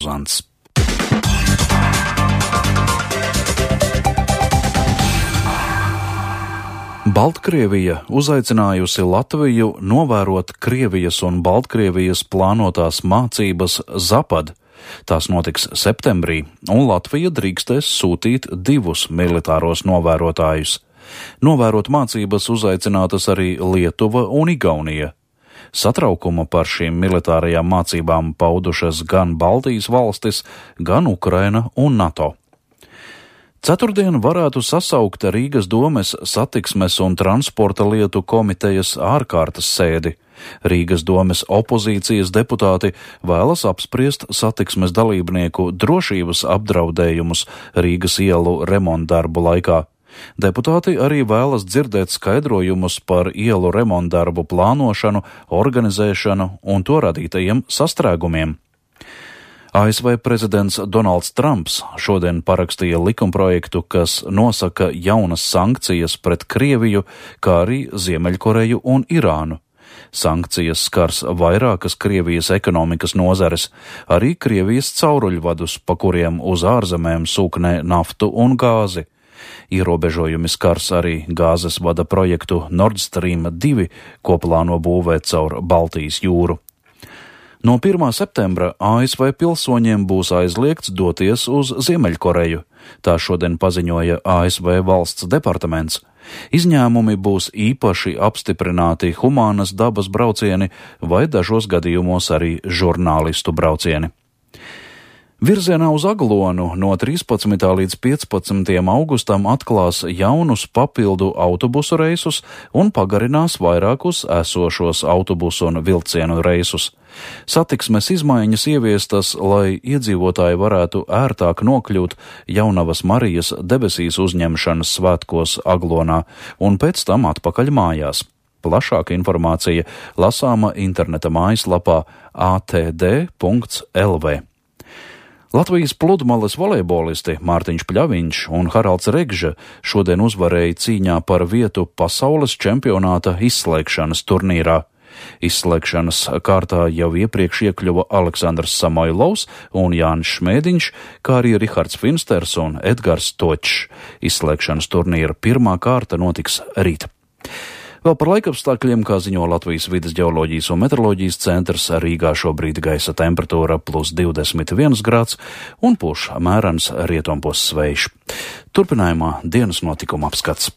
Uzants. Baltkrievija uzaicinājusi Latviju novērot Krievijas un Baltkrievijas plānotās mācības Zapad. Tās notiks septembrī, un Latvija drīkstēs sūtīt 2 militāros novērotājus. Novērot mācības uzaicinātas arī Lietuva un Igaunija. Satraukuma par šīm militārajām mācībām paudušas gan Baltijas valstis, gan Ukraina un NATO. Ceturtdien varētu sasaukt Rīgas domes satiksmes un transporta lietu komitejas ārkārtas sēdi. Rīgas domes opozīcijas deputāti vēlas apspriest satiksmes dalībnieku drošības apdraudējumus Rīgas ielu remontdarbu laikā. Deputāti arī vēlas dzirdēt skaidrojumus par ielu remontdarbu plānošanu, organizēšanu un to radītajiem sastrēgumiem. ASV prezidents Donalds Trumps šodien parakstīja likumprojektu, kas nosaka jaunas sankcijas pret Krieviju, kā arī Ziemeļkoreju un Irānu. Sankcijas skars vairākas Krievijas ekonomikas nozares, arī Krievijas cauruļvadus, pa kuriem uz ārzemēm sūknē naftu un gāzi. Ierobežojumi skars arī gāzes vada projektu Nord Stream 2, ko plāno būvēt caur Baltijas jūru. No 1. septembra ASV pilsoņiem būs aizliegts doties uz Ziemeļkoreju. Tā šodien paziņoja ASV valsts departaments. Izņēmumi būs īpaši apstiprināti humānas dabas braucieni vai dažos gadījumos arī žurnālistu braucieni. Virzienā uz Aglonu no 13. līdz 15. augustam atklās jaunus papildu autobusu reisus un pagarinās vairākus esošos autobusu un vilcienu reisus. Satiksmes izmaiņas ieviestas, lai iedzīvotāji varētu ērtāk nokļūt Jaunavas Marijas debesīs uzņemšanas svētkos Aglonā un pēc tam atpakaļ mājās. Plašāka informācija lasāma interneta mājaslapā atd.lv. Latvijas pludmales volejbolisti Mārtiņš Pļaviņš un Haralds Regža šodien uzvarēja cīņā par vietu pasaules čempionāta izslēgšanas turnīrā. Izslēgšanas kārtā jau iepriekš iekļuva Aleksandrs Samoilovs un Jānis Šmēdiņš, kā arī Rihards Finsters un Edgars Točs. Izslēgšanas turnīra pirmā kārta notiks rīt. Vēl par laikapstākļiem, kā ziņo Latvijas vides ģeoloģijas un meteoroloģijas centrs, Rīgā šobrīd gaisa temperatūra +21 grāds un pūš mērens rietumpus vējš. Turpinājumā dienas notikuma apskats.